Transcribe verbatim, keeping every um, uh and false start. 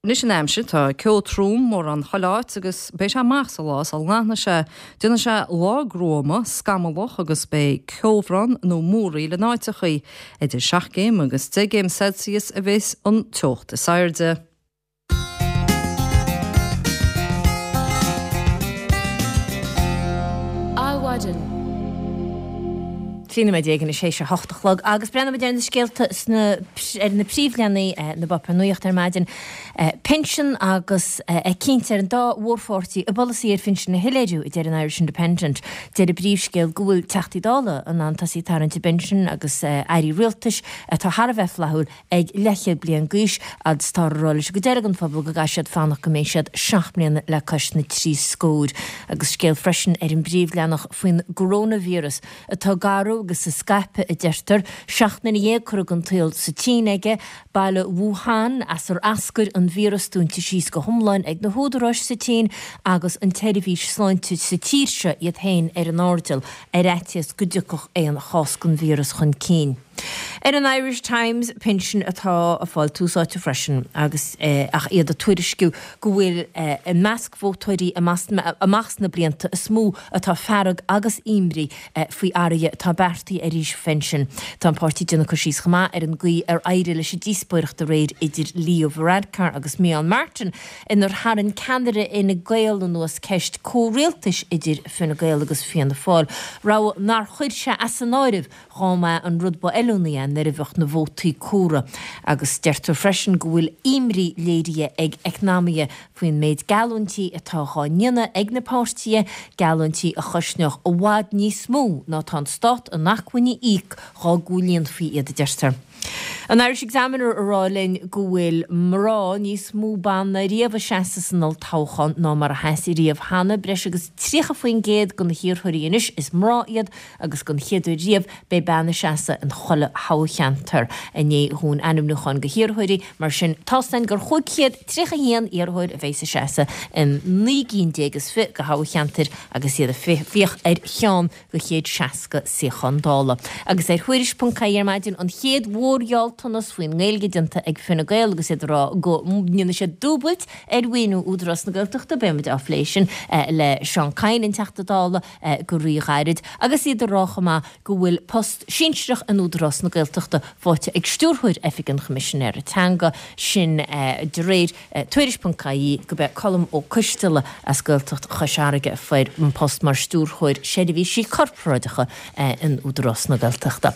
Anois an aimsir, tá ceo trom mórán chuile áit agus beidh sé amach sa lá sula nglanfaidh sé. Déanfaidh sé lá gruama, scamallach agus beidh ceobhrán nó múraíl in áiteachaí. Idir seacht gcéim agus deich gcéim Celsius a bheas an teocht is airde. Adhmhaidin. Trí nóiméad déag anois théis a hocht a chlog agus breathnóimid ar na scéalta sna ar na príomhleathanaigh na bpáipéar nuachta ar maidin. Pinsean agus é cinnte ar an dá mhórpháirtí a bpolasaí ar phinsin a shoiléiriú, a deir an Irish Independent. Deir an príomhscéal go bhfuil Teachtaí Dála in ann tosaí ag tarraingt a bpinsin agus airí rialtais atá thar a bheith flaithiúil ag leathchéad bliain d'aois agus táthar ag rá leis an gcuid eile den phobal go gcaithfidh siad fanacht go mbeidh siad seacht mbliana le cois na trí scóir. Agus scéal freisin ar an bpríomhleathanach faoin gcoróinvíreas atá ag athrú agus ag scaipeadh, a deirtear. Seacht nduine dhéag curtha den tsaol sa tSín aige. Baile Wuhan, as ar eascair an víreas, dúnta síos go hiomlán ag na húdaráis sa tSín agus an tseirbhís sláinte sa tír seo iad féin ar an airdeall ar fhaitíos go dtiocfadh aon chás den víreas chun cinn. Ar an Irish Times, pinsin atá ag fáil tús áite freisin agus ach iad ag tuairisciú go bhfuil i measc vótóirí amach sna blianta is mó atá fearg agus imní faoi athruithe atá beartaithe ar aois phinsin. Tá an páirtí ag déanamh cur síos chomh maith ar an gcaoi ar éirigh leis an díospóireacht aréir idir Leo Varadkar agus Micheál Martin inar tharraing ceannaire Fhine Gael anuas ceist comhrialtais idir Fine Gael agus Fianna Fáil, rogha nár chuir sé as an áireamh dhá mba an rud ba fheiliúnaí é nuair a bheadh na vótaí comhairthe. Agus deirtear freisin go bhfuil imní léirithe ag eacnamaithe faoin méid geallúintí atá dhá ndéanamh ag na páirtithe, geallúintí a chosnódh i bhfad níos mó ná tá an stát in acmhainn a íoc dhá gcomhlíonfaí iad, a deirtear. An Irish Examiner a rá linn go bhfuil mná, níos mó ban ná riamh ag seasamh san olltoghchán ná mar a sheas riamh cheana. Breis agus tríocha faoin gcéad de na hiarrthóirí anois is mná iad agus don chéad uair riamh beidh bean ag seasamh in chuile thoghcheantar i ndiaidh dhún ainmniúcháin go hiarrthóirí. Mar sin tá's againn gur chúig chéad tríocha a haon iarrthóir a bheas ag seasamh in naoi gcinn déag is fiche de thoghcheantair agus iad ag fiach ar cheann de chéad seasca suíochán Dála. Agus ar Thuairisc ponc ie ar maidin, an chéad mhórghealltanas faoin nGaeilge déanta ag Fine Gael agus iad ag rá go ndéanfaidh siad dúbailt ar mhaoiniú Údarás na Gaeltachta, beidh muid á phlé sin le Seán Kyne, an Teachta Dála, go ríghairid. Agus iad ag rá chomh maith go bhfuil post sinsearach in Údarás na Gaeltachta faighte ag Stiúrthóir Oifig an Choimisinéara Teanga, sin de réir Tuairisc ponc ie gurb é Colm Ó Coisteala as Gaeltacht Chois Fharraige a fuair an post mar Stiúrthóir Seirbhísí Corparáideacha in Údarás na Gaeltachta.